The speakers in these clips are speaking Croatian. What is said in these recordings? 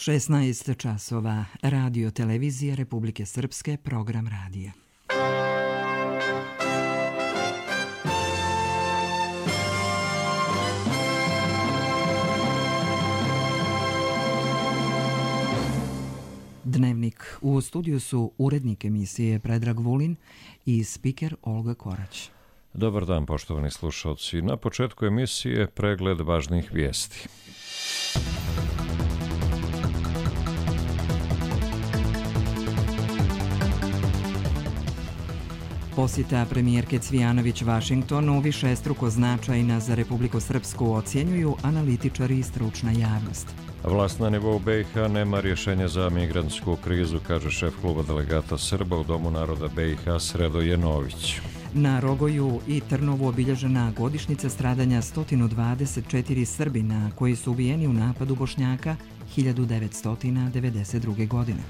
16 časova. Radio televizije Republike Srpske, program radija. Dnevnik. U studiju su urednik emisije Predrag Vulin i spiker Olga Korać. Dobar dan, poštovani slušalci. Na početku emisije pregled važnih vijesti. Posjeta premijerke Cvijanović Vašingtonu višestruko značajna za Republiku Srpsku ocjenjuju analitičari i stručna javnost. Vlast na nivou BiH nema rješenja za migrantsku krizu, kaže šef kluba delegata Srba u Domu naroda BiH Sredo Jenović. Na Rogoju i Trnovu obilježena godišnjica stradanja 124 Srbina koji su ubijeni u napadu Bošnjaka 1992. godine.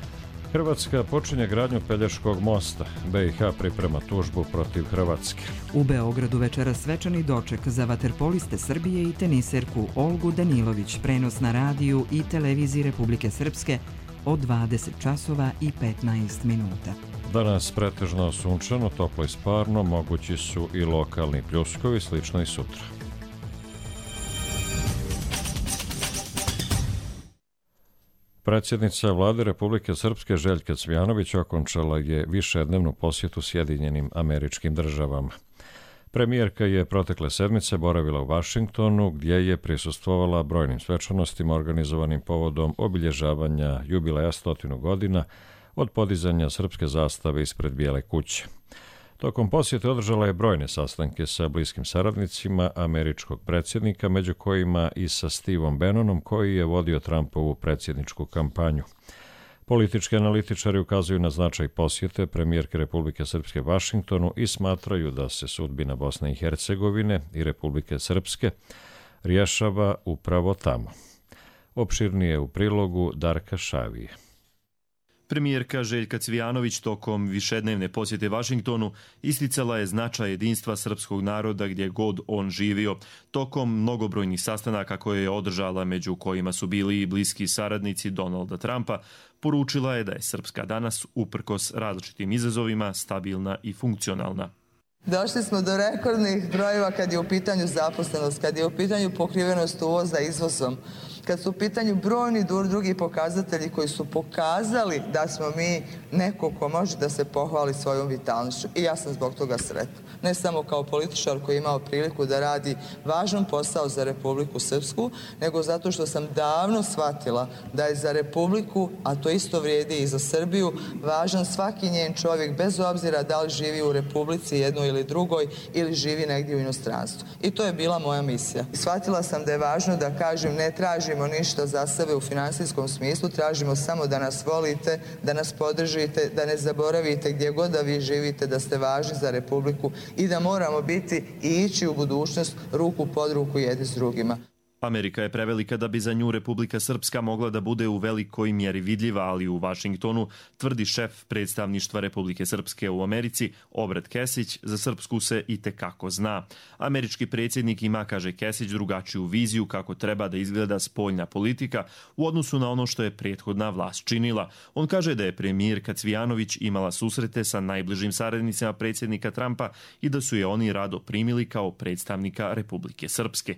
Hrvatska počinje gradnju Pelješkog mosta. BiH priprema tužbu protiv Hrvatske. U Beogradu večeras svečani doček za vaterpoliste Srbije i teniserku Olgu Danilović, prenos na radiju i televiziji Republike Srpske od 20 časova i 15 minuta. Danas pretežno sunčano, toplo i sparno, mogući su i lokalni pljuskovi, slično i sutra. Predsjednica Vlade Republike Srpske Željka Cvijanović okončala je višednevnu posjetu Sjedinjenim Američkim Državama. Premijerka je protekle sedmice boravila u Vašingtonu, gdje je prisustvovala brojnim svečanostima organizovanim povodom obilježavanja jubileja 100 godina od podizanja srpske zastave ispred Bijele kuće. Tokom posjete održala je brojne sastanke sa bliskim saradnicima američkog predsjednika, među kojima i sa Steveom Bannonom, koji je vodio Trumpovu predsjedničku kampanju. Politički analitičari ukazuju na značaj posjete premijerke Republike Srpske Vašingtonu i smatraju da se sudbina Bosne i Hercegovine i Republike Srpske rješava upravo tamo. Opširnije u prilogu Darka Šavije. Premijerka Željka Cvijanović tokom višednevne posjete Vašingtonu isticala je značaj jedinstva srpskog naroda gdje god on živio. Tokom mnogobrojnih sastanaka koje je održala, među kojima su bili i bliski saradnici Donalda Trumpa, poručila je da je Srpska danas, uprkos različitim izazovima, stabilna i funkcionalna. Došli smo do rekordnih brojeva kad je u pitanju zaposlenost, kad je u pitanju pokrivenost uvoza izvozom, kad su u pitanju brojni drugi pokazatelji koji su pokazali da smo mi neko ko može da se pohvali svojom vitalnošću. I ja sam zbog toga sretna. Ne samo kao političar koji je imao priliku da radi važan posao za Republiku Srpsku, nego zato što sam davno shvatila da je za Republiku, a to isto vrijedi i za Srbiju, važan svaki njen čovjek, bez obzira da li živi u Republici jednoj ili drugoj ili živi negdje u inostranstvu. I to je bila moja misija. Shvatila sam da je važno da kažem, ne tražimo ništa za sebe u finansijskom smislu, tražimo samo da nas volite, da nas podržite, da ne zaboravite gdje god da vi živite, da ste važni za Republiku i da moramo biti i ići u budućnost ruku pod ruku jedni s drugima. Amerika je prevelika da bi za nju Republika Srpska mogla da bude u velikoj mjeri vidljiva, ali u Vašingtonu, tvrdi šef predstavništva Republike Srpske u Americi, Obrat Kesić, za Srpsku se itekako zna. Američki predsjednik ima, kaže Kesić, drugačiju viziju kako treba da izgleda spoljna politika u odnosu na ono što je prethodna vlast činila. On kaže da je premijerka Cvijanović imala susrete sa najbližim saradnicima predsjednika Trumpa i da su je oni rado primili kao predstavnika Republike Srpske.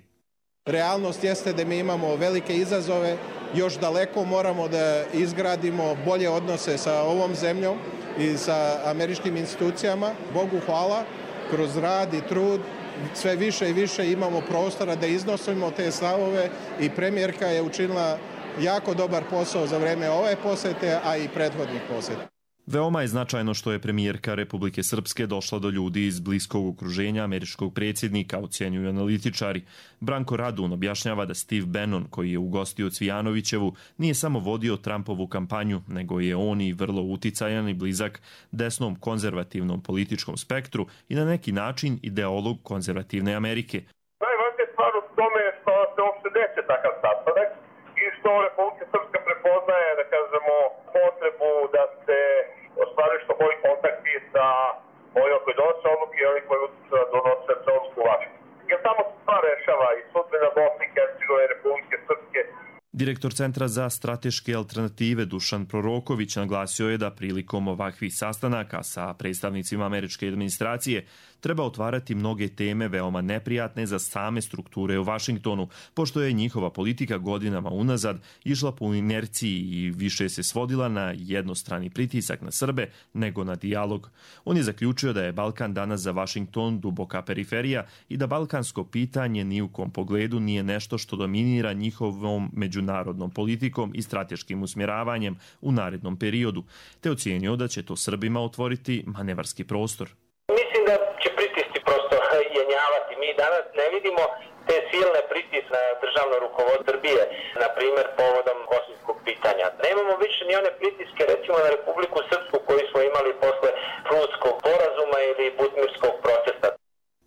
Realnost jeste da mi imamo velike izazove, još daleko moramo da izgradimo bolje odnose sa ovom zemljom i sa američkim institucijama. Bogu hvala, kroz rad i trud sve više i više imamo prostora da iznosimo te stavove i premijerka je učinila jako dobar posao za vrijeme ove posjete, a i prethodnih posjeta. Veoma je značajno što je premijerka Republike Srpske došla do ljudi iz bliskog okruženja američkog predsjednika, ocjenjuju analitičari. Branko Radun objašnjava da Steve Bannon, koji je ugostio Cvijanovićevu, nije samo vodio Trumpovu kampanju, nego je on i vrlo uticajan i blizak desnom konzervativnom političkom spektru i na neki način ideolog konzervativne Amerike. Najvažnija stvar u tome je što se uopšte neće takav sastanak i što Republika Srpska prepoznaje, da kažemo, potrebu da se ostvari što bolji kontakti sa ovima koji donose odluke i ovima koji donose odluku u Vašingtonu. Jer tamo se stvar rešava i sudbina Bosne i Hercegovine, Republike Srpske. Direktor Centra za strateške alternative Dušan Proroković naglasio je da prilikom ovakvih sastanaka sa predstavnicima američke administracije treba otvarati mnoge teme veoma neprijatne za same strukture u Vašingtonu, pošto je njihova politika godinama unazad išla po inerciji i više se svodila na jednostrani pritisak na Srbe nego na dijalog. On je zaključio da je Balkan danas za Vašington duboka periferija i da balkansko pitanje ni u kom pogledu nije nešto što dominira njihovom međunarodnom politikom i strateškim usmjeravanjem u narednom periodu, te ocijenio da će to Srbima otvoriti manevarski prostor. Mislim da će pritisci prosto jenjavati. Mi danas ne vidimo te silne pritiske na državno rukovodstvo Srbije, na primjer povodom bosanskog pitanja. Nemamo više ni one pritiske recimo na Republiku Srpsku koji smo imali posle Prunskog sporazuma ili Butmirskog procesa.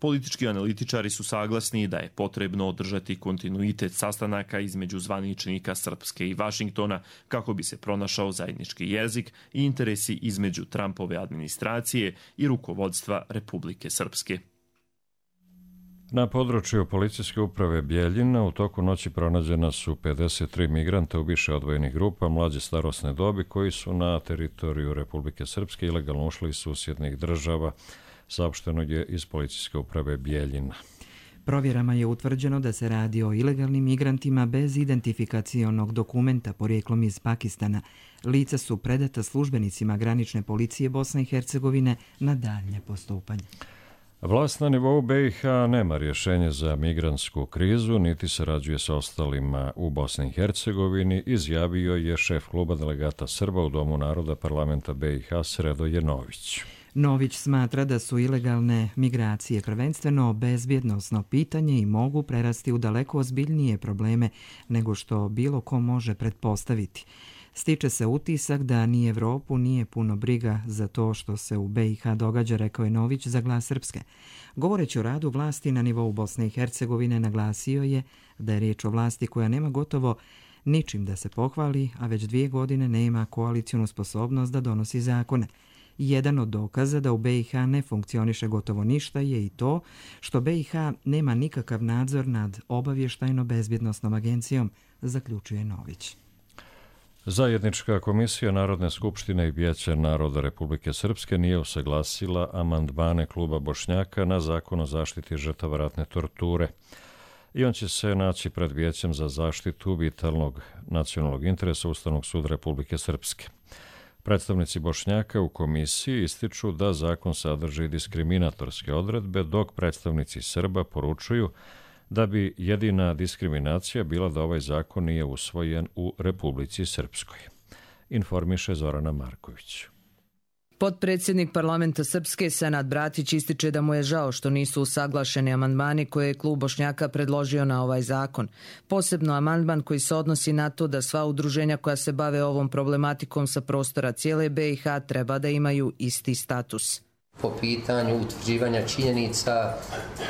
Politički analitičari su saglasni da je potrebno održati kontinuitet sastanaka između zvaničnika Srpske i Vašingtona kako bi se pronašao zajednički jezik i interesi između Trumpove administracije i rukovodstva Republike Srpske. Na području policijske uprave Bjeljina u toku noći pronađena su 53 migranta u više odvojenih grupa mlađe starosne dobi koji su na teritoriju Republike Srpske ilegalno ušli iz susjednih država, saopšteno je iz policijske uprave Bjeljina. Provjerama je utvrđeno da se radi o ilegalnim migrantima bez identifikacionog dokumenta porijeklom iz Pakistana. Lica su predata službenicima granične policije Bosne i Hercegovine na daljnje postupanje. Vlast na nivou BiH nema rješenje za migrantsku krizu, niti sarađuje sa ostalima u Bosni i Hercegovini, izjavio je šef kluba delegata Srba u Domu naroda parlamenta BiH Sredoje Nović. Nović smatra da su ilegalne migracije prvenstveno bezbjednosno pitanje i mogu prerasti u daleko ozbiljnije probleme nego što bilo ko može pretpostaviti. Stiče se utisak da ni Evropu nije puno briga za to što se u BiH događa, rekao je Nović za Glas Srpske. Govoreći o radu vlasti na nivou Bosne i Hercegovine, naglasio je da je riječ o vlasti koja nema gotovo ničim da se pohvali, a već 2 godine nema koalicijonu sposobnost da donosi zakone. Jedan od dokaza da u BiH ne funkcioniše gotovo ništa je i to što BiH nema nikakav nadzor nad obavještajno-bezbjednosnom agencijom, zaključuje Nović. Zajednička komisija Narodne skupštine i Vijeća naroda Republike Srpske nije usaglasila amandmane kluba Bošnjaka na zakon o zaštiti žrtava ratne torture. I on će se naći pred Vijećem za zaštitu vitalnog nacionalnog interesa Ustavnog suda Republike Srpske. Predstavnici Bošnjaka u komisiji ističu da zakon sadrži diskriminatorske odredbe, dok predstavnici Srba poručuju da bi jedina diskriminacija bila da ovaj zakon nije usvojen u Republici Srpskoj. Informiše Zorana Marković. Potpredsjednik parlamenta Srpske Senad Bratić ističe da mu je žao što nisu usaglašeni amandmani koje je klub Bošnjaka predložio na ovaj zakon. Posebno amandman koji se odnosi na to da sva udruženja koja se bave ovom problematikom sa prostora cijele BiH treba da imaju isti status. Po pitanju utvrđivanja činjenica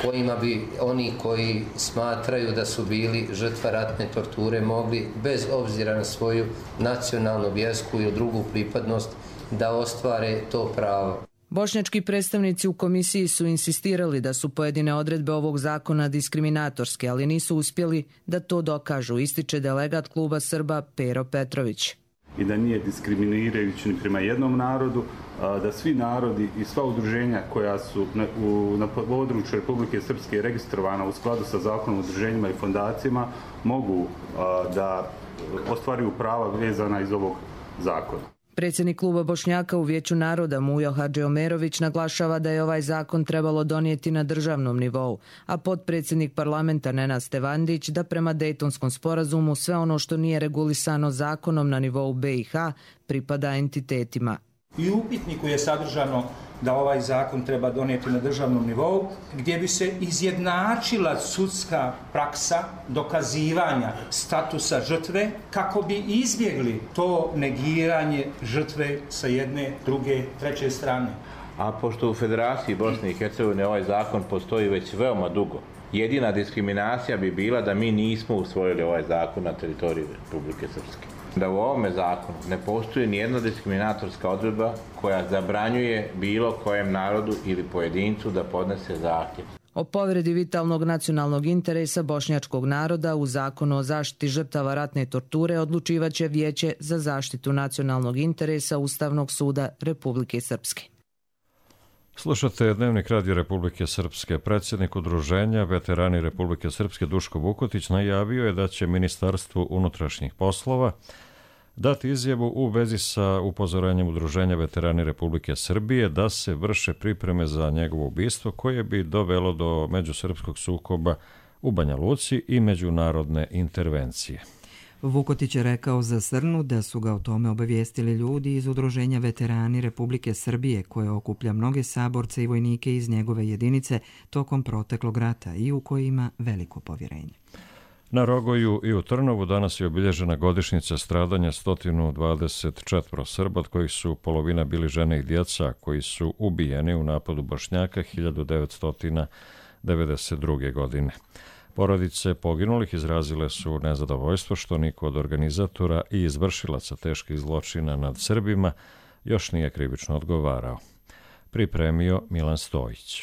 kojima bi oni koji smatraju da su bili žrtva ratne torture mogli bez obzira na svoju nacionalnu, vjersku ili drugu pripadnost da ostvare to pravo. Bošnjački predstavnici u komisiji su insistirali da su pojedine odredbe ovog zakona diskriminatorske, ali nisu uspjeli da to dokažu, ističe delegat kluba Srba Pero Petrović. I da nije diskriminirajući ni prema jednom narodu, da svi narodi i sva udruženja koja su na području Republike Srpske registrovana u skladu sa zakonom o udruženjima i fondacijama mogu da ostvaruju prava vezana iz ovog zakona. Predsjednik kluba Bošnjaka u Vijeću naroda Mujo Hadžiomerović naglašava da je ovaj zakon trebalo donijeti na državnom nivou, a potpredsjednik parlamenta Nenad Stevandić da prema Dejtonskom sporazumu sve ono što nije regulisano zakonom na nivou BiH pripada entitetima. I u upitniku je sadržano da ovaj zakon treba donijeti na državnom nivou, gdje bi se izjednačila sudska praksa dokazivanja statusa žrtve kako bi izbjegli to negiranje žrtve sa jedne, druge, treće strane. A pošto u Federaciji Bosne i Hercegovine ovaj zakon postoji već veoma dugo, jedina diskriminacija bi bila da mi nismo usvojili ovaj zakon na teritoriji Republike Srpske. Da u ovome zakonu ne postoji nijedna diskriminatorska odredba koja zabranjuje bilo kojem narodu ili pojedincu da podnese zahtjev. O povredi vitalnog nacionalnog interesa bošnjačkog naroda u Zakonu o zaštiti žrtava ratne torture odlučivaće Vijeće za zaštitu nacionalnog interesa Ustavnog suda Republike Srpske. Slušate Dnevnik Radio Republike Srpske. Predsjednik udruženja Veterani Republike Srpske Duško Vukotić najavio je da će Ministarstvu unutrašnjih poslova dati izjavu u vezi sa upozorenjem udruženja Veterani Republike Srbije da se vrše pripreme za njegovo ubistvo koje bi dovelo do međusrpskog sukoba u Banja Luci i međunarodne intervencije. Vukotić je rekao za Srnu da su ga o tome obavijestili ljudi iz udruženja Veterani Republike Srbije koje okuplja mnoge saborce i vojnike iz njegove jedinice tokom proteklog rata i u koji ima veliko povjerenje. Na Rogoju i u Trnovu danas je obilježena godišnjica stradanja 124 Srba, od kojih su polovina bili žene i djeca koji su ubijeni u napadu Bošnjaka 1992. godine. Porodice poginulih izrazile su nezadovoljstvo što niko od organizatora i izvršilaca teških zločina nad Srbima još nije krivično odgovarao. Pripremio Milan Stojić.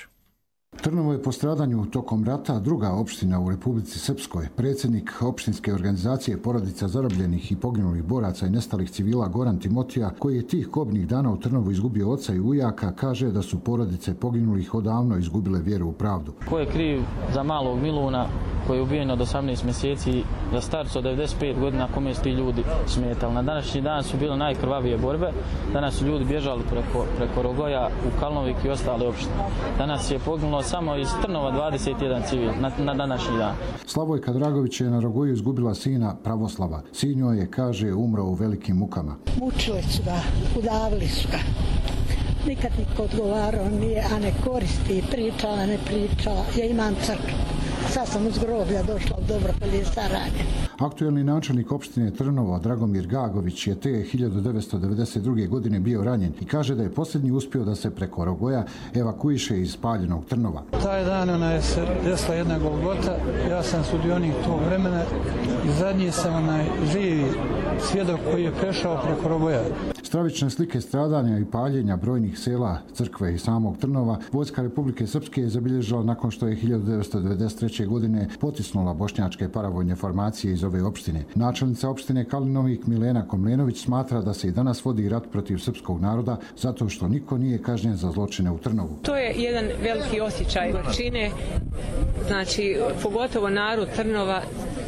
Trnovo je po stradanju tokom rata druga opština u Republici Srpskoj. Predsjednik opštinske organizacije porodica zarobljenih i poginulih boraca i nestalih civila Goran Timotija, koji je tih kobnih dana u Trnovu izgubio oca i ujaka, kaže da su porodice poginulih odavno izgubile vjeru u pravdu. Ko je kriv za malog Miluna koji je ubijen od 18 mjeseci, za starca od 95 godina, kome su ti ljudi smetali? Na današnji dan su bile najkrvavije borbe. Danas su ljudi bježali preko Rogoja u Kalnovik i ostale opštine. Danas je poginulo samo iz Trnova 21 civil na današnji dan. Slavojka Dragović je na Rogoju izgubila sina Pravoslava. Sin joj je, kaže, umro u velikim mukama. Mučili su ga, udavili su ga. Nikad niko odgovarao nije, a ne koristi, pričala, ne pričala. Ja imam crkvu. Sad sam uz groblja došla u Dobropolje Saranje. Aktuelni načelnik opštine Trnovo, Dragomir Gagović, je te 1992. godine bio ranjen i kaže da je posljednji uspio da se preko Rogoja evakuiše iz spaljenog Trnova. Taj dan je se desila jedna golgota, ja sam sudionik tog vremena i zadnji sam živi svjedok koji je prešao preko Rogoja. Stravične slike stradanja i paljenja brojnih sela, crkve i samog Trnova Vojska Republike Srpske je zabilježila nakon što je 1993. godine potisnula bošnjačke paravojne formacije iz ove opštine. Načelnica opštine Kalinovik Milena Komlenović smatra da se i danas vodi rat protiv srpskog naroda zato što niko nije kažnjen za zločine u Trnovu. To je jedan veliki osjećaj gorčine, znači pogotovo narod Trnova,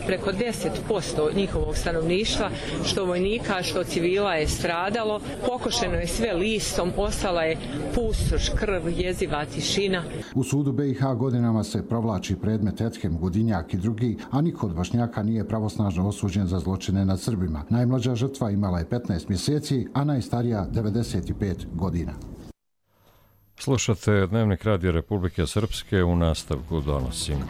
preko 10% njihovog stanovništva, što vojnika, što civila je stradalo. Pokošeno je sve listom, ostala je pustoš, krv, jeziva tišina. U sudu BiH godinama se provlači predmet Ethem, Gudinjak i drugi, a niko od Bošnjaka nije pravosnažno osuđen za zločine nad Srbima. Najmlađa žrtva imala je 15 mjeseci, a najstarija 95 godina. Slušate Dnevnik Radio Republike Srpske, u nastavku donosimo.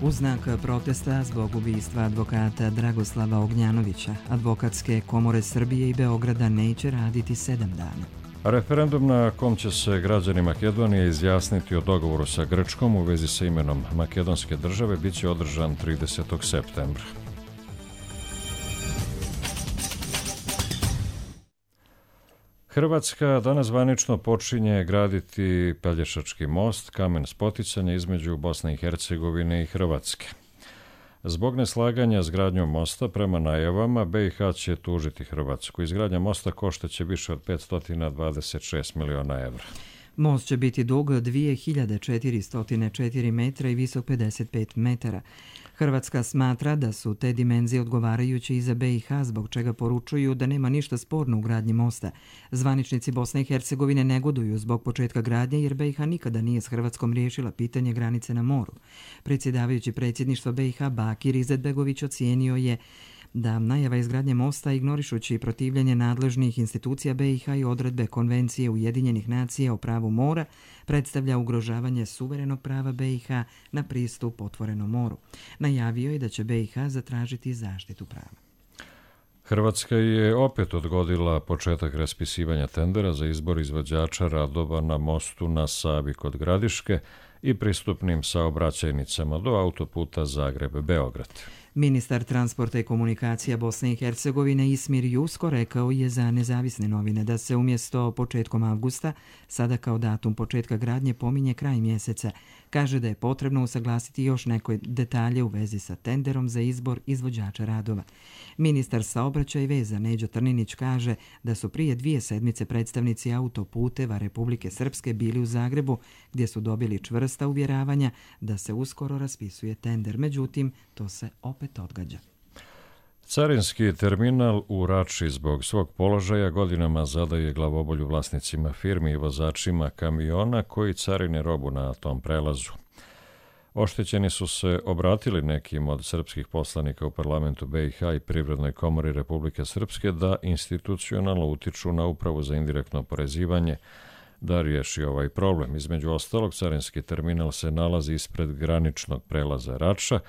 U znak protesta zbog ubistva advokata Dragoslava Ognjanovića, advokatske komore Srbije i Beograda neće raditi 7 dana. Referendum na kom će se građani Makedonije izjasniti o dogovoru sa Grčkom u vezi sa imenom makedonske države bit će održan 30. septembra. Hrvatska danas zvanično počinje graditi Pelješački most, kamen spoticanja između Bosne i Hercegovine i Hrvatske. Zbog neslaganja s gradnjom mosta, prema najavama, BiH će tužiti Hrvatsku. Izgradnja mosta koštaće više od 526 miliona evra. Most će biti dug 2404 metra i visok 55 metara. Hrvatska smatra da su te dimenzije odgovarajuće i za BiH, zbog čega poručuju da nema ništa sporno u gradnji mosta. Zvaničnici Bosne i Hercegovine negoduju zbog početka gradnje jer BiH nikada nije s Hrvatskom riješila pitanje granice na moru. Predsjedavajući predsjedništva BiH Bakir Izetbegović ocijenio je da najava izgradnje mosta, ignorišući protivljenje nadležnih institucija BiH i odredbe Konvencije Ujedinjenih nacija o pravu mora, predstavlja ugrožavanje suverenog prava BiH na pristup otvorenom moru. Najavio je da će BiH zatražiti zaštitu prava. Hrvatska je opet odgodila početak raspisivanja tendera za izbor izvođača radova na mostu na Savi kod Gradiške i pristupnim saobraćajnicama do autoputa Zagreb-Beograd. Ministar transporta i komunikacija Bosne i Hercegovine Ismir Jusko rekao je za Nezavisne novine da se umjesto početkom avgusta sada kao datum početka gradnje pominje kraj mjeseca. Kaže da je potrebno usaglasiti još neke detalje u vezi sa tenderom za izbor izvođača radova. Ministar saobraćaja i veza Neđo Trninić kaže da su prije 2 sedmice predstavnici autoputeva Republike Srpske bili u Zagrebu gdje su dobili čvrsta uvjeravanja da se uskoro raspisuje tender. Međutim, to se opet odgađa. Carinski terminal u Rači zbog svog položaja godinama zadaje glavobolju vlasnicima firmi i vozačima kamiona koji carine robu na tom prelazu. Oštećeni su se obratili nekim od srpskih poslanika u parlamentu BiH i Privrednoj komori Republike Srpske da institucionalno utiču na Upravu za indirektno oporezivanje da riješi ovaj problem. Između ostalog, carinski terminal se nalazi ispred graničnog prelaza Rača,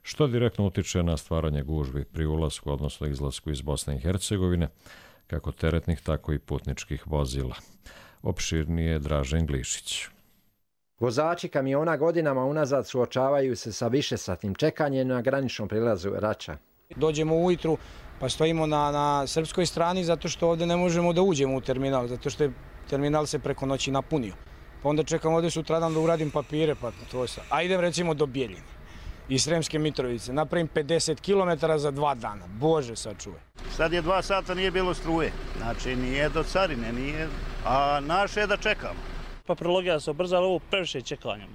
što direktno utiče na stvaranje gužvi pri ulasku, odnosno izlasku iz Bosne i Hercegovine, kako teretnih, tako i putničkih vozila. Opširnije Dražen Glišić. Vozači kamiona godinama unazad suočavaju se sa višesatnim čekanjem na graničnom prelazu Rača. Dođemo ujutru pa stojimo na srpskoj strani zato što ovdje ne možemo da uđemo u terminal, zato što je terminal se preko noći napunio. Pa onda čekam ovdje sutradan da uradim papire, pa to se. A idem recimo do Bijeljine iz Sremske Mitrovice, napravim 50 km za 2 dana. Bože sačuvaj. Sad je 2 sata, nije bilo struje, znači nije do carine, nije, a naše je da čekamo. Pa prologija se obrzala, ovo previše čekanja.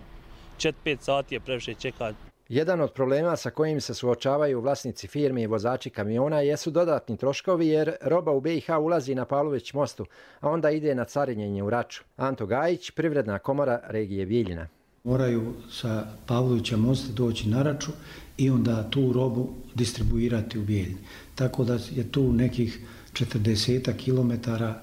4-5 sati je previše čekanja. Jedan od problema sa kojim se suočavaju vlasnici firmi i vozači kamiona jesu dodatni troškovi jer roba u BiH ulazi na Pavlović mostu, a onda ide na carinjenje u Raču. Anto Gajić, Privredna komora regije Bijeljina. Moraju sa Pavlovića mosta doći na Raču i onda tu robu distribuirati u Bijeljini. Tako da je tu nekih 40 kilometara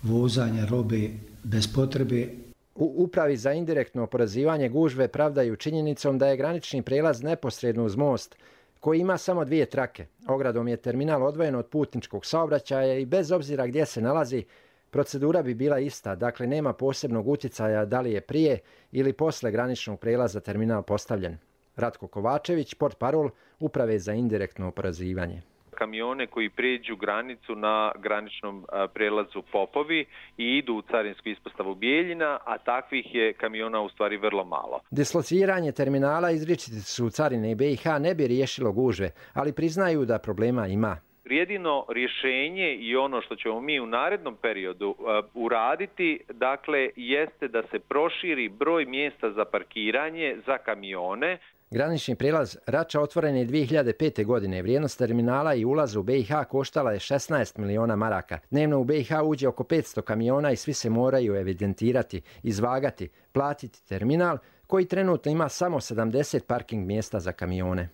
vozanja robe bez potrebe. U Upravi za indirektno oporezivanje gužve pravdaju činjenicom da je granični prijelaz neposredno uz most, koji ima samo 2 trake. Ogradom je terminal odvojen od putničkog saobraćaja i bez obzira gdje se nalazi, procedura bi bila ista, dakle nema posebnog utjecaja da li je prije ili posle graničnog prijelaza terminal postavljen. Ratko Kovačević, portparol Uprave za indirektno oporezivanje. Kamione koji pređu granicu na graničnom prelazu Popovi i idu u carinsku ispostavu Bijeljina, a takvih je kamiona u stvari vrlo malo. Dislociranje terminala izričiti su carine BiH ne bi riješilo gužve, ali priznaju da problema ima. Jedino rješenje i ono što ćemo mi u narednom periodu uraditi, dakle, jeste da se proširi broj mjesta za parkiranje za kamione. Granični prijelaz Rača otvoren je 2005. godine. Vrijednost terminala i ulaza u BiH koštala je 16 miliona maraka. Dnevno u BiH uđe oko 500 kamiona i svi se moraju evidentirati, izvagati, platiti terminal koji trenutno ima samo 70 parking mjesta za kamione.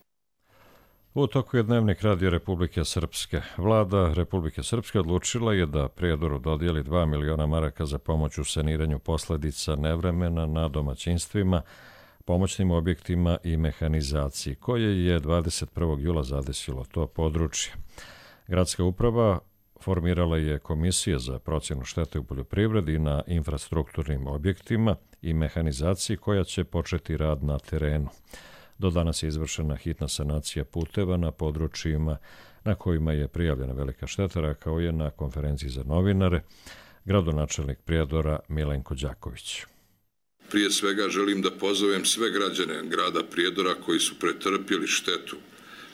U toku je Dnevnik Radio Republike Srpske. Vlada Republike Srpske odlučila je da Prijedoru dodijeli 2 miliona maraka za pomoć u saniranju posljedica nevremena na domaćinstvima, pomoćnim objektima i mehanizaciji, koje je 21. jula zadesilo to područje. Gradska uprava formirala je komisije za procjenu štete u poljoprivredi i na infrastrukturnim objektima i mehanizaciji koja će početi rad na terenu. Do danas je izvršena hitna sanacija puteva na područjima na kojima je prijavljena velika šteta, rekao je na konferenciji za novinare gradonačelnik Prijedora Milenko Đaković. Prije svega želim da pozovem sve građane grada Prijedora koji su pretrpjeli štetu,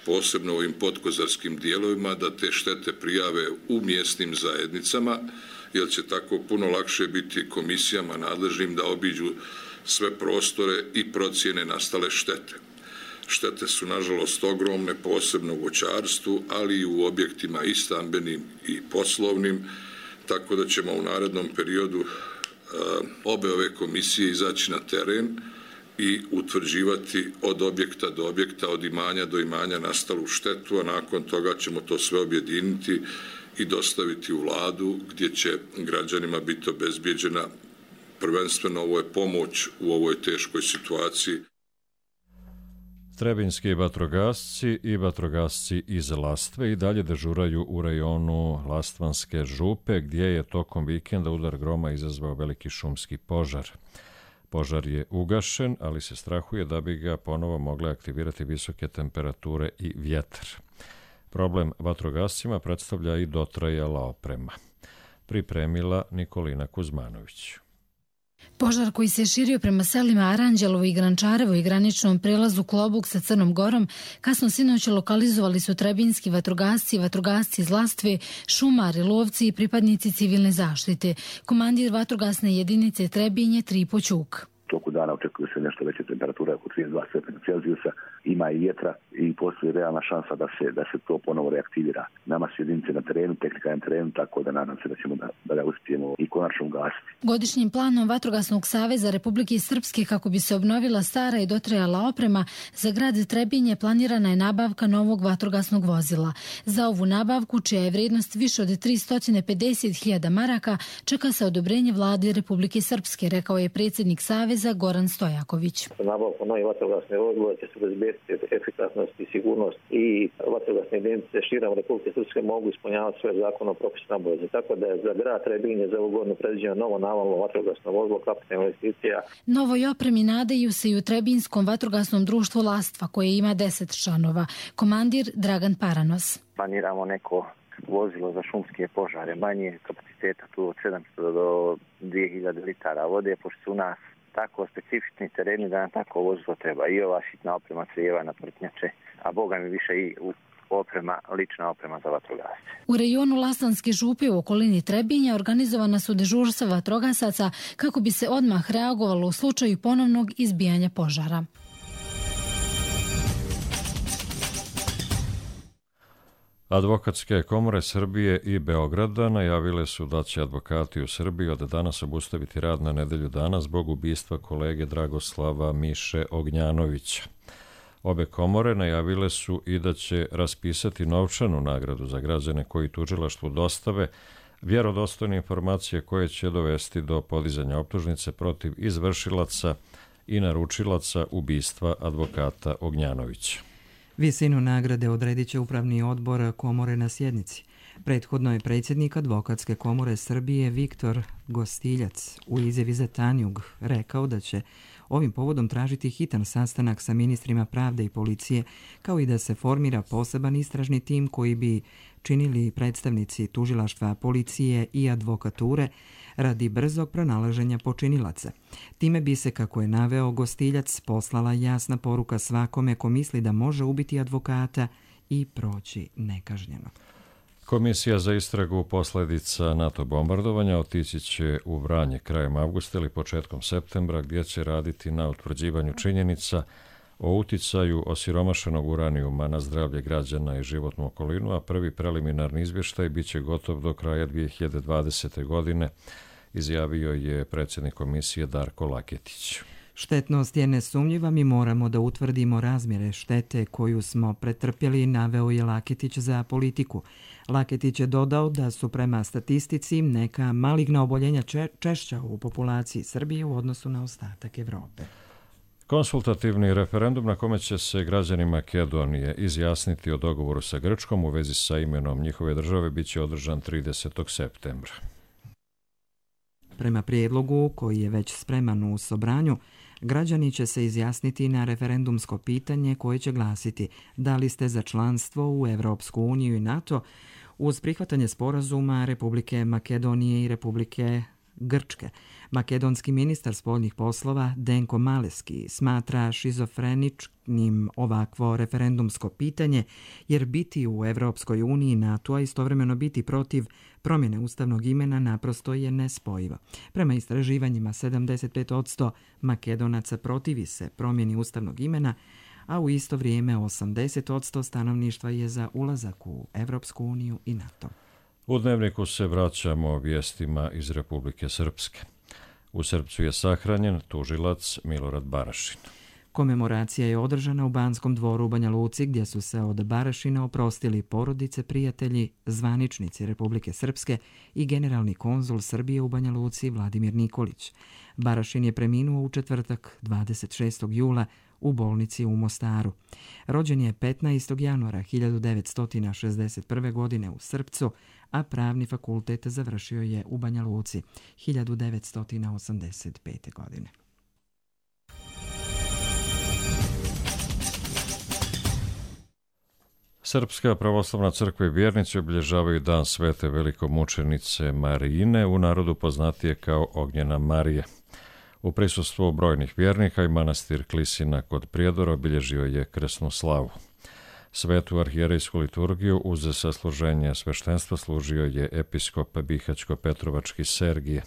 posebno u ovim podkozarskim dijelovima, da te štete prijave u mjesnim zajednicama, jer će tako puno lakše biti komisijama nadležnim da obiđu sve prostore i procjene nastale štete. Štete su nažalost ogromne, posebno u voćarstvu, ali i u objektima i stambenim i poslovnim, tako da ćemo u narednom periodu obe ove komisije izaći na teren i utvrđivati od objekta do objekta, od imanja do imanja nastalu štetu, a nakon toga ćemo to sve objediniti i dostaviti u vladu gdje će građanima biti obezbijeđena prvenstveno ovo je pomoć u ovoj teškoj situaciji. Trebinjski vatrogasci i vatrogasci iz Lastve i dalje dežuraju u rajonu Lastvanske župe, gdje je tokom vikenda udar groma izazvao veliki šumski požar. Požar je ugašen, ali se strahuje da bi ga ponovo mogle aktivirati visoke temperature i vjetar. Problem vatrogascima predstavlja i dotrajala oprema. Pripremila Nikolina Kuzmanović. Požar koji se širio prema selima Aranđelovo i Grančarevo i graničnom prelazu Klobuk sa Crnom Gorom, kasno sinoć lokalizovali su trebinski vatrogasci iz Lastve, šumari, lovci i pripadnici civilne zaštite. Komandir vatrogasne jedinice Trebinje Tripo Ćuk. Toku dana očekuje se nešto veće temperature, oko 32 stepena Celzijusa, ima i vjetra i postoji realna šansa da se to ponovo reaktivira. Nama su jedinice na terenu, tehnika je na terenu, tako da nadam se da ćemo da ga uspijemo i konačno ugasiti. Godišnjim planom Vatrogasnog saveza Republike Srpske kako bi se obnovila stara i dotrajala oprema, za grad Trebinje planirana je nabavka novog vatrogasnog vozila. Za ovu nabavku, čija je vrijednost više od 350.000 maraka, čeka se odobrenje vlade Republike Srpske, rekao je predsjednik Saveza Goran Stojaković. Nabavkom novih vatrogasnih vozila će se obezbediti efikasnost i sigurnost i vatrogasne jedinice širom Republike Srpske mogu ispunjavati svoje zakonom propisane obaveze. Tako da je za grad Trebinje za ovu godinu predviđeno novo navalno vatrogasno vozilo, kapitalna investicija. Novoj opremi nadaju se i u Trebinskom vatrogasnom društvu Lastva, koje ima 10 članova. Komandir Dragan Paranos. Planiramo neko vozilo za šumske požare, manje kapaciteta, tu od 700 do 2000 litara vode, pošto su u nas tako specifični tereni da nam tako vozilo treba. I ova sitna oprema crijeva na prtnjače, a boga mi više i lična oprema za vatrogasce. U rejonu Lastanske župe u okolini Trebinja organizovana su dežurstva vatrogasaca kako bi se odmah reagovalo u slučaju ponovnog izbijanja požara. Advokatske komore Srbije i Beograda najavile su da će advokati u Srbiji od danas obustaviti rad na nedelju dana zbog ubistva kolege Dragoslava Miše Ognjanovića. Obe komore najavile su i da će raspisati novčanu nagradu za građane koji tužilaštvu dostave vjerodostojne informacije koje će dovesti do podizanja optužnice protiv izvršilaca i naručilaca ubistva advokata Ognjanovića. Visinu nagrade odredit će upravni odbor komore na sjednici. Prethodno je predsjednik Advokatske komore Srbije Viktor Gostiljac u izjavi za Tanjug rekao da će ovim povodom tražiti hitan sastanak sa ministrima pravde i policije, kao i da se formira poseban istražni tim koji bi činili predstavnici tužilaštva, policije i advokature radi brzog pronalaženja počinilaca. Time bi se, kako je naveo Gostiljac, poslala jasna poruka svakome ko misli da može ubiti advokata i proći nekažnjeno. Komisija za istragu posljedica NATO bombardovanja otići će u Vranje krajem avgusta ili početkom septembra, gdje će raditi na utvrđivanju činjenica o uticaju osiromašenog uranijuma na zdravlje građana i životnu okolinu, a prvi preliminarni izvještaj bit će gotov do kraja 2020. godine, izjavio je predsjednik komisije Darko Laketić. Štetnost je nesumnjiva, mi moramo da utvrdimo razmjere štete koju smo pretrpjeli, naveo je Laketić za Politiku. Laketić je dodao da su prema statistici neka maligna oboljenja češća u populaciji Srbije u odnosu na ostatak Evrope. Konsultativni referendum na kome će se građani Makedonije izjasniti o dogovoru sa Grčkom u vezi sa imenom njihove države bit će održan 30. septembra. Prema prijedlogu, koji je već spreman u Sobranju, građani će se izjasniti na referendumsko pitanje koje će glasiti da li ste za članstvo u Evropsku uniju i NATO uz prihvatanje sporazuma Republike Makedonije i Republike Grčke. Makedonski ministar spoljnih poslova Denko Maleski smatra šizofreničnim ovakvo referendumsko pitanje, jer biti u Evropskoj uniji i NATO, a istovremeno biti protiv promjene ustavnog imena naprosto je nespojivo. Prema istraživanjima 75% Makedonaca protivi se promjeni ustavnog imena, a u isto vrijeme 80% stanovništva je za ulazak u Evropsku uniju i NATO. U Dnevniku se vraćamo vijestima iz Republike Srpske. U Srpcu je sahranjen tužilac Milorad Barašin. Komemoracija je održana u Banskom dvoru u Banja Luci, gdje su se od Barašina oprostili porodice, prijatelji, zvaničnici Republike Srpske i generalni konzul Srbije u Banja Luci Vladimir Nikolić. Barašin je preminuo u četvrtak 26. jula u bolnici u Mostaru. Rođen je 15. januara 1961. godine u Srpcu, a pravni fakultet završio je u Banja Luci 1985. godine. Srpska pravoslavna crkva i vjernici obilježavaju dan svete velikomučenice Marine, u narodu poznatije kao Ognjena Marije. U prisustvu brojnih vjernika i manastir Klisina kod Prijedora obilježio je krsnu slavu. Svetu arhijerejsku liturgiju uz sasluženje sveštenstva služio je episkop Bihaćko-Petrovački Sergije.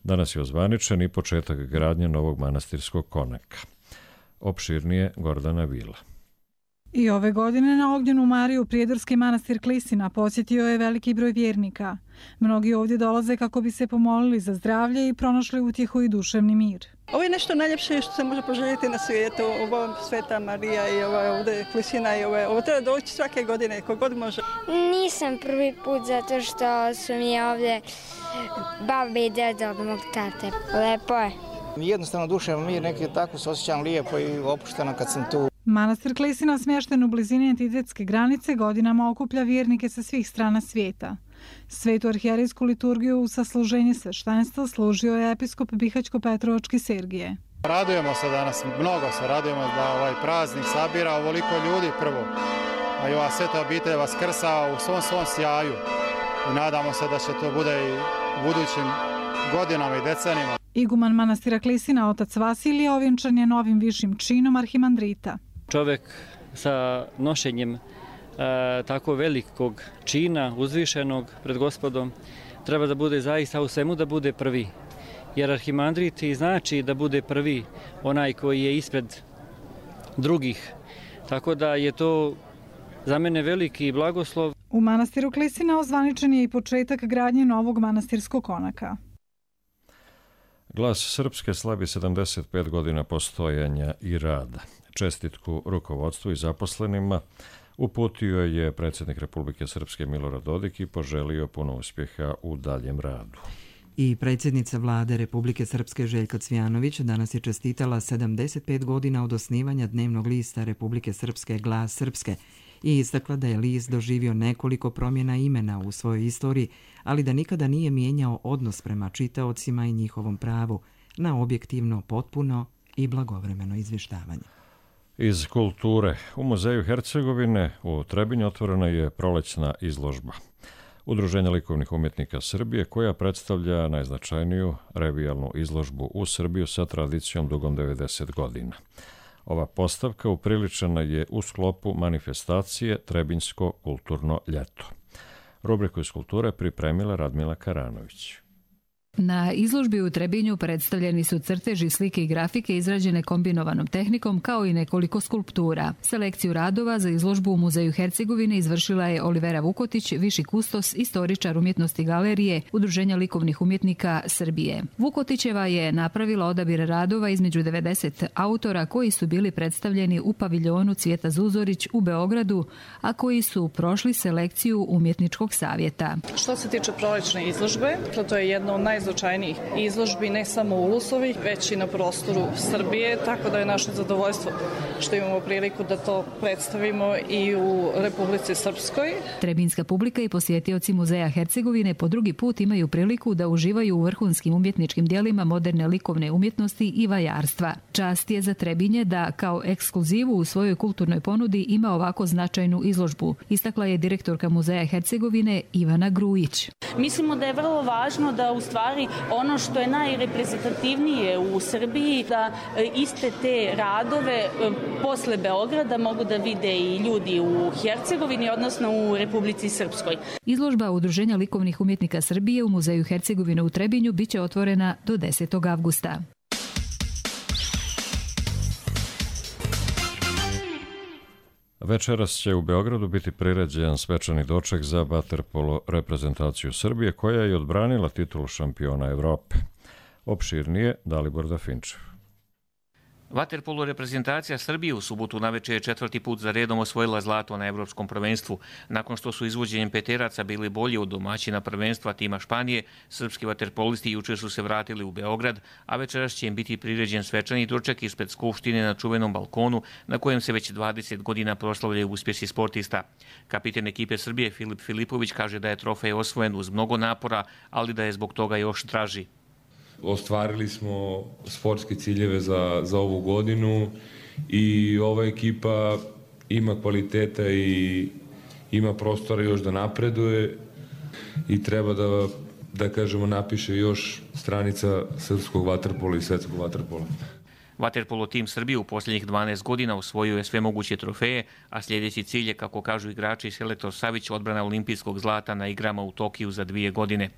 Danas je ozvaničen i početak gradnje novog manastirskog konaka. Opširnije Gordana Vila. I ove godine na Ognjenu Mariju prijedorski manastir Klisina posjetio je veliki broj vjernika. Mnogi ovdje dolaze kako bi se pomolili za zdravlje i pronašli utjehu i duševni mir. Ovo je nešto najljepše što se može poželjeti na svijetu. Ovo Sveta Marija i ovo ovdje Klisina i ovo treba doći svake godine, kogod može. Nisam prvi put zato što su mi ovdje babi i deda od mog tate. Lepo je. Jednostavno duševni mir, neki tako se osjećam lijepo i opušteno kad sam tu. Manastir Klisina, smješten u blizini entitetske granice, godinama okuplja vjernike sa svih strana svijeta. Svetu arhijerejsku liturgiju u sasluženje sveštenstva služio je episkop Bihaćko-Petrovački Sergije. Radujemo se danas, mnogo se radujemo da ovaj praznik sabira ovoliko ljudi prvo, a i ova sveta obitelj vaskrsa u svom sjaju. I nadamo se da će to bude i u budućim godinama i decenijama. Iguman manastira Klisina, otac Vasilije, ovjenčan je novim višim činom arhimandrita. Čovjek sa nošenjem tako velikog čina, uzvišenog pred Gospodom, treba da bude zaista u svemu da bude prvi. Jer arhimandrit znači da bude prvi, onaj koji je ispred drugih. Tako da je to za mene veliki blagoslov. U manastiru Klisina ozvaničen je i početak gradnje novog manastirskog konaka. Glas Srpske slavi 75 godina postojanja i rada. Čestitku rukovodstvu i zaposlenima uputio je predsjednik Republike Srpske Milorad Dodik i poželio puno uspjeha u daljem radu. I predsjednica vlade Republike Srpske Željka Cvijanović danas je čestitala 75 godina od osnivanja dnevnog lista Republike Srpske Glas Srpske i istakla da je list doživio nekoliko promjena imena u svojoj istoriji, ali da nikada nije mijenjao odnos prema čitaocima i njihovom pravu na objektivno, potpuno i blagovremeno izvještavanje. Iz kulture, u Muzeju Hercegovine u Trebinju otvorena je prolećna izložba Udruženja likovnih umjetnika Srbije, koja predstavlja najznačajniju revijalnu izložbu u Srbiju sa tradicijom dugom 90 godina. Ova postavka upriličena je u sklopu manifestacije Trebinjsko kulturno ljeto. Rubriku iz kulture pripremila Radmila Karanović. Na izložbi u Trebinju predstavljeni su crteži, slike i grafike izrađene kombinovanom tehnikom, kao i nekoliko skulptura. Selekciju radova za izložbu u Muzeju Hercegovine izvršila je Olivera Vukotić, viši kustos, istoričar umjetnosti galerije Udruženja likovnih umjetnika Srbije. Vukotićeva je napravila odabir radova između 90 autora koji su bili predstavljeni u paviljonu Cvijeta Zuzorić u Beogradu, a koji su prošli selekciju Umjetničkog savjeta. Što se tiče prolećne izložbe, to je jedna od najznačajnijih izložbi ne samo u Ulusovi, već i na prostoru Srbije, tako da je naše zadovoljstvo što imamo priliku da to predstavimo i u Republici Srpskoj. Trebinska publika i posjetioci Muzeja Hercegovine po drugi put imaju priliku da uživaju u vrhunskim umjetničkim dijelima moderne likovne umjetnosti i vajarstva. Čast je za Trebinje da kao ekskluzivu u svojoj kulturnoj ponudi ima ovako značajnu izložbu, istakla je direktorka Muzeja Hercegovine Ivana Grujić. Mislimo da je vrlo važno da u stvari ono što je najreprezentativnije u Srbiji, da iste te radove posle Beograda mogu da vide i ljudi u Hercegovini, odnosno u Republici Srpskoj. Izložba Udruženja likovnih umjetnika Srbije u Muzeju Hercegovine u Trebinju biće otvorena do 10. avgusta. Večeras će u Beogradu biti priređen svečani doček za vaterpolo reprezentaciju Srbije, koja je odbranila titulu šampiona Evrope. Opširnije Dalibor Dafinčev. Vaterpolo reprezentacija Srbije u subotu naveče je 4. put za redom osvojila zlato na evropskom prvenstvu. Nakon što su izvođenjem peteraca bili bolji od domaćina prvenstva tima Španije, srpski vaterpolisti juče su se vratili u Beograd, a večeras će im biti priređen svečani doček ispred Skupštine na čuvenom balkonu, na kojem se već 20 godina proslavljaju uspjesi sportista. Kapiten ekipe Srbije Filip Filipović kaže da je trofej osvojen uz mnogo napora, ali da je zbog toga još draži. Ostvarili smo sportske ciljeve za ovu godinu i ova ekipa ima kvaliteta i ima prostora još da napreduje i treba da kažemo, napiše još stranica srpskog vaterpola i svetskog vaterpola. Vaterpolo tim Srbije u posljednjih 12 godina osvojio je sve moguće trofeje, a sljedeći cilj je, kako kažu igrači i selektor Savić, odbrana olimpijskog zlata na igrama u Tokiju za 2 godine.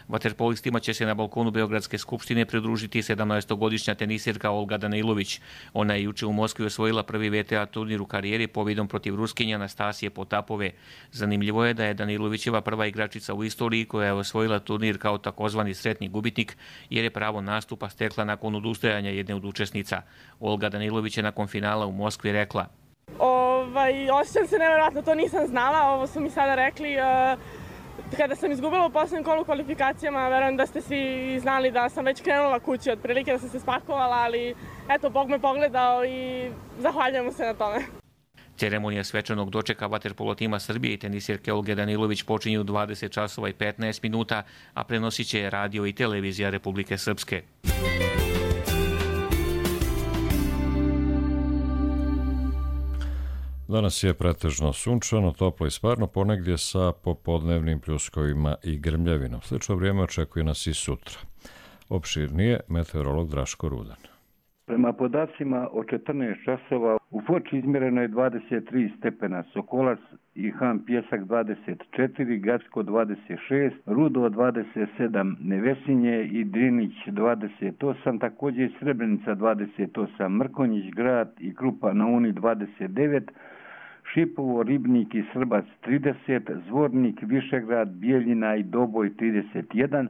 Vaterpolistima će se na balkonu Beogradske skupštine pridružiti 17-godišnja tenisirka Olga Danilović. Ona je juče u Moskvi osvojila prvi VTA turnir u karijeri pobjedom protiv Ruskinje Anastasije Potapove. Zanimljivo je da je Danilovićeva prva igračica u istoriji koja je osvojila turnir kao takozvani sretni gubitnik, jer je pravo nastupa stekla nakon odustajanja jedne od učesnica. Olga Danilović je nakon finala u Moskvi rekla: osjećam se nevjerojatno, to nisam znala, ovo su mi sada rekli. Kada sam izgubila u posljednjem kolu kvalifikacijama, verujem da ste svi znali da sam već krenula kući, otprilike da sam se spakovala, ali eto, Bog me pogledao i zahvaljujem mu se na tome. Ceremonija svečanog dočeka vaterpolo tima Srbije i tenisirke Olge Danilović počinju u 20 časova i 15 minuta, a prenosit će radio i televizija Republike Srpske. Danas je pretežno sunčano, toplo i sparno, ponegdje sa popodnevnim pljuskovima i grmljavinom. Slično vrijeme očekuje nas i sutra. Opširnije, meteorolog Draško Rudan. Prema podacima od 14 časova u Foči izmjereno je 23 stepena, Sokolac i Han Pjesak 24, Gacko 26, Rudo 27, Nevesinje i Drinić 28, također i Srebrenica 28, Mrkonjić Grad i Krupa na Uni 29, Šipovo, Ribnik i Srbac 30, Zvornik, Višegrad, Bijeljina i Doboj 31,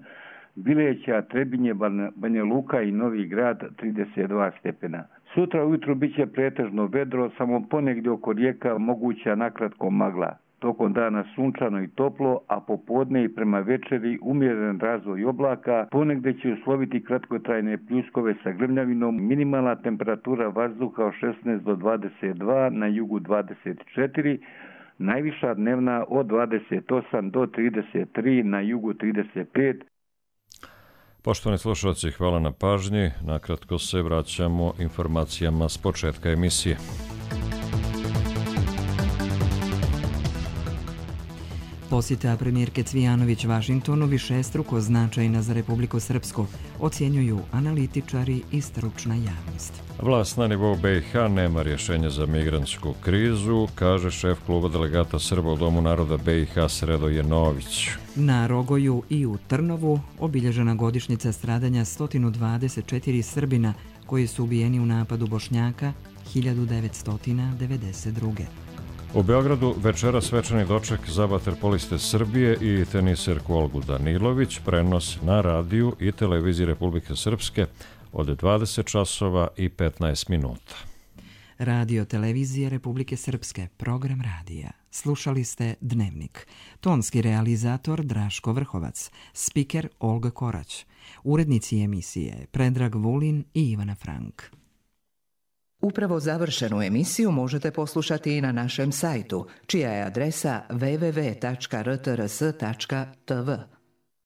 Bileća, Trebinje, Banja Luka i Novi Grad 32 stepena. Sutra ujutru bit će pretežno vedro, samo ponegdje oko rijeka moguća nakratko magla. Tokom dana sunčano i toplo, a popodne i prema večeri umjeren razvoj oblaka, ponegdje će usloviti kratkotrajne pljuskove sa grmljavinom, minimalna temperatura vazduha od 16 do 22, na jugu 24, najviša dnevna od 28 do 33, na jugu 35. Poštovani slušalci, hvala na pažnji. Nakratko se vraćamo informacijama s početka emisije. Posjeta premijerke Cvijanović Vašingtonu višestruko značajna za Republiku Srpsku, ocjenjuju analitičari i stručna javnost. Vlast na nivou BiH nema rješenja za migrantsku krizu, kaže šef kluba delegata Srba u Domu naroda BiH Sredoje Nović. Na Rogoju i u Trnovu obilježena godišnjica stradanja 124 Srbina koji su ubijeni u napadu Bošnjaka 1992. U Beogradu večera svečani doček za vaterpoliste Srbije i tenisirku Olgu Danilović, prenos na radiju i televiziji Republike Srpske od 20 časova i 15 minuta. Radio televizije Republike Srpske, program radija. Slušali ste Dnevnik. Tonski realizator Draško Vrhovac, spiker Olga Korać, urednici emisije Predrag Vulin i Ivana Frank. Upravo završenu emisiju možete poslušati i na našem sajtu, čija je adresa www.rtrs.tv.